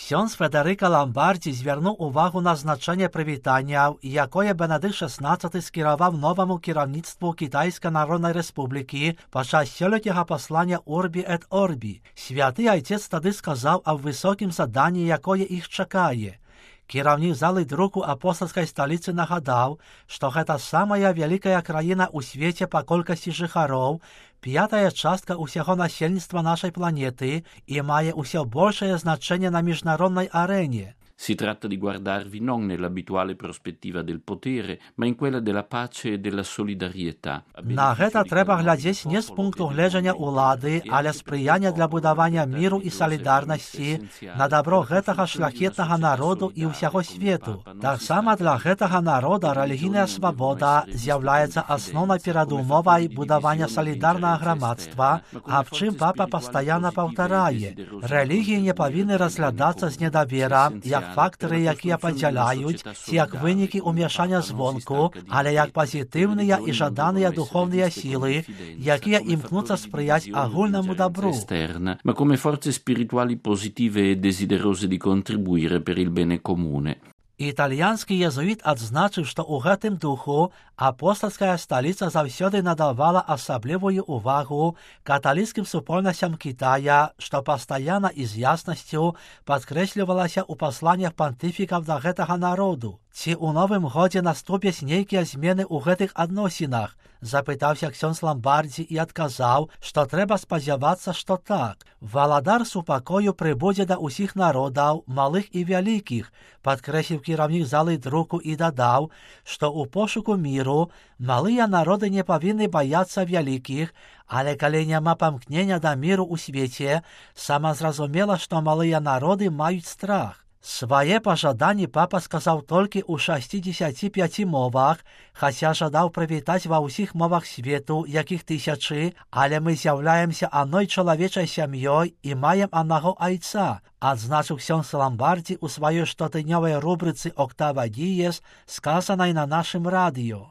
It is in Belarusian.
Ксьонз Федерика Ламбардзі звернув увагу на значення привітання, якое Бенедикт XVI скерував новому керівництву Китайської Народної Республіки під час сьогоднішнього послання Урбі ет Орбі. Святий Отець тоді сказав о високім заданні, яке їх чекає. Керівник зали друку апостольської столиці нагадав, що це самая велика країна у світі по кількості жихарів, п'ята частка усього населення нашої планети і має усе більше значення на міжнародній арені. Si tratta di guardarvi non nell'abituale prospettiva del potere, ma in quella della pace e della solidarietà. На це треба глядіти не з пункту гледження влади, але сприяння для будування миру і солідарності на добро цього шляхетного народу і всього світу. Так само для цього народу релігійна свобода з'являється основною передумовою будування солідарного громадства, а в чим папа постійно повторяє. Релігії не повинні розглядатися з недовір'ям, як фактори, які поділяють, як виники умішання звонку, але як позитивні і жадані духовні сили, які імкнуться сприяти огульному добру. Ma come forze spirituali positive e desiderose di contribuire per il bene comune. Італійський єзуїт відзначив, що у гэтым духу апостольська столиця завсёды надавала особливую увагу католицьким супольностям Китая, що постоянно і з ясністю підкреслювалося у посланнях понтифіків до гэтага народу. Ці у новым годзе наступять нейкія змены ў гэтых адносінах, запытаўся ксёндз Ламбардзі і адказаў, што трэба спадзявацца, што так. Валадар супакою прыбудзе да ўсіх народаў, малых і вялікіх, падкрэсліў кіраўнік залы друку і дадаў, што ў пошуку міру малыя народы не павінны баяцца вялікіх, але калі няма памкнення да міру ў свеце, самазразумела, што малыя народы маюць страх. Свае пажаданні папа сказаў толькі ў 65 мовах, хаця жадаў прывітаць ва ўсіх мовах свету, якіх тысячы, але мы з'яўляемся адной чалавечай сям'ёй і маем аднаго айца, адзначыў ксёндз Ламбардзі ў сваёй штотыднёвай рубрыцы «Октава Діес», сказанай на нашым радыё.